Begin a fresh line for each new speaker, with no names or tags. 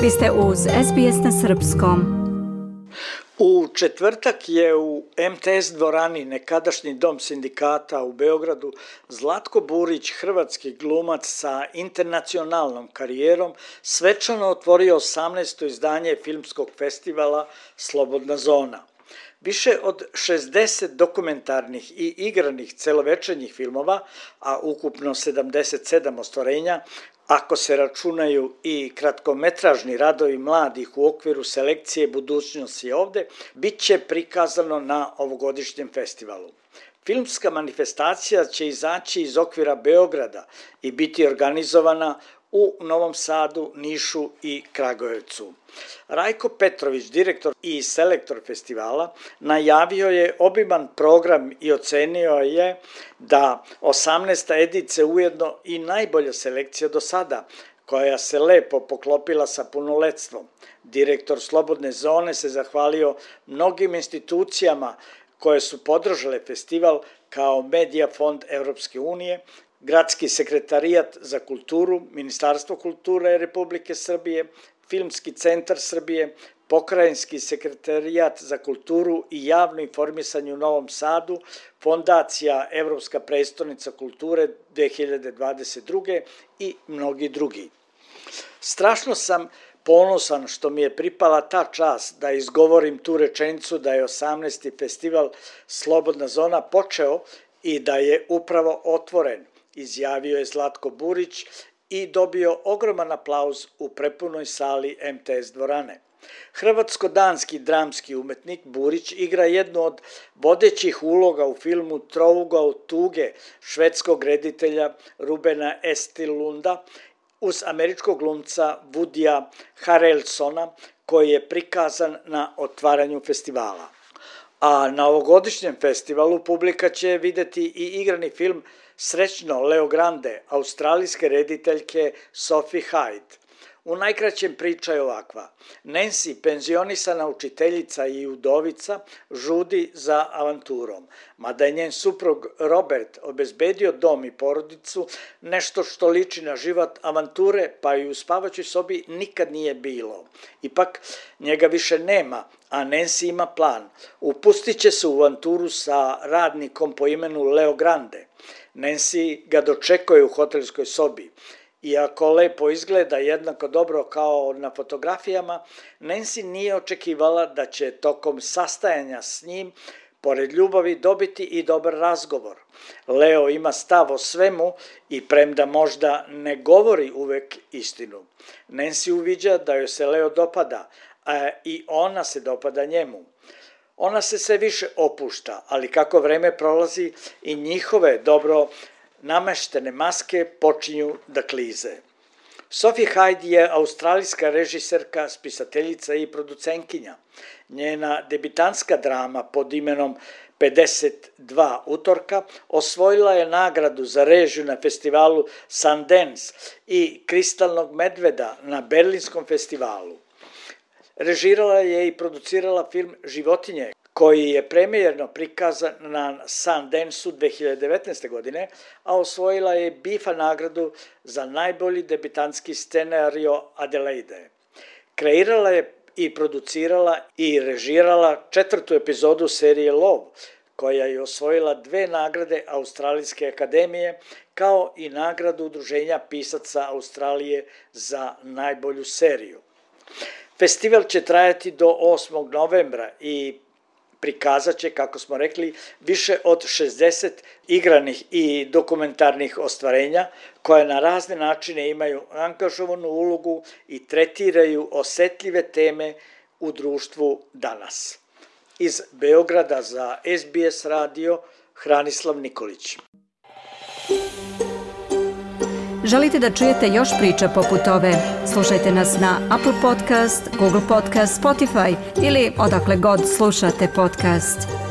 Vi ste uz SBS na srpskom.
U četvrtak je u MTS dvorani, nekadašnji dom sindikata u Beogradu, Zlatko Burić, hrvatski glumac sa internacionalnom karijerom, svečano otvorio 18. izdanje filmskog festivala Slobodna zona. Više od 60 dokumentarnih i igranih celovečernjih filmova, a ukupno 77 ostvarenja, ako se računaju i kratkometražni radovi mladih u okviru selekcije Budućnost je ovde, bit će prikazano na ovogodišnjem festivalu. Filmska manifestacija će izaći iz okvira Beograda i biti organizovana u Novom Sadu, Nišu i Kragujevcu. Rajko Petrović, direktor i selektor festivala, najavio je obiman program i ocenio je da 18. edicija ujedno i najbolja selekcija do sada, koja se lepo poklopila sa punoletstvom. Direktor Slobodne zone se zahvalio mnogim institucijama koje su podržale festival kao Medija fond Evropske unije, Gradski sekretarijat za kulturu, Ministarstvo kulture Republike Srbije, Filmski centar Srbije, Pokrajinski sekretarijat za kulturu i javno informisanje u Novom Sadu, Fondacija Evropska prestonica kulture 2022. i mnogi drugi. Strašno sam ponosan što mi je pripala ta čast da izgovorim tu rečenicu da je 18. festival Slobodna zona počeo i da je upravo otvoren, izjavio je Zlatko Burić i dobio ogroman aplauz u prepunoj sali MTS dvorane. Hrvatsko-danski dramski umetnik Burić igra jednu od vodećih uloga u filmu Trougao tuge švedskog reditelja Rubena Östlunda uz američkog glumca Woodya Harrelsona, koji je prikazan na otvaranju festivala. A na ovogodišnjem festivalu publika će videti i igrani film Srećno Leo Grande, australijske rediteljke Sophie Hyde. U najkraćem priča je ovakva. Nancy, penzionisana učiteljica i udovica, žudi za avanturom. Mada je njen suprug Robert obezbedio dom i porodicu, nešto što liči na život avanture, pa i u spavaćoj sobi nikad nije bilo. Ipak, njega više nema, a Nancy ima plan. Upustit će se u avanturu sa radnikom po imenu Leo Grande. Nancy ga dočekuje u hotelskoj sobi. Iako lepo izgleda jednako dobro kao na fotografijama, Nancy nije očekivala da će tokom sastajanja s njim, pored ljubavi, dobiti i dobar razgovor. Leo ima stav o svemu i premda možda ne govori uvek istinu. Nancy uviđa da joj se Leo dopada, a i ona se dopada njemu. Ona se sve više opušta, ali kako vreme prolazi i njihove dobro nameštene maske počinju da klize. Sophie Hyde je australijska režiserka, spisateljica i producentkinja. Njena debitanska drama pod imenom 52 utorka osvojila je nagradu za režiju na festivalu Sundance i Kristalnog medveda na Berlinskom festivalu. Režirala je i producirala film Životinje, koji je premijerno prikazan na Sundance-u 2019. godine, a osvojila je BIFA nagradu za najbolji debitantski scenario Adelaide. Kreirala je i producirala i režirala 4. epizodu serije Love, koja je osvojila 2 nagrade Australijske akademije, kao i nagradu Udruženja pisaca Australije za najbolju seriju. Festival će trajati do 8. novembra i prikazat će, kako smo rekli, više od 60 igranih i dokumentarnih ostvarenja koje na razne načine imaju angažovanu ulogu i tretiraju osetljive teme u društvu danas. Iz Beograda za SBS radio, Hranislav Nikolić.
Želite da čujete još priča poput ove? Slušajte nas na Apple Podcast, Google Podcast, Spotify ili odakle god slušate podcast.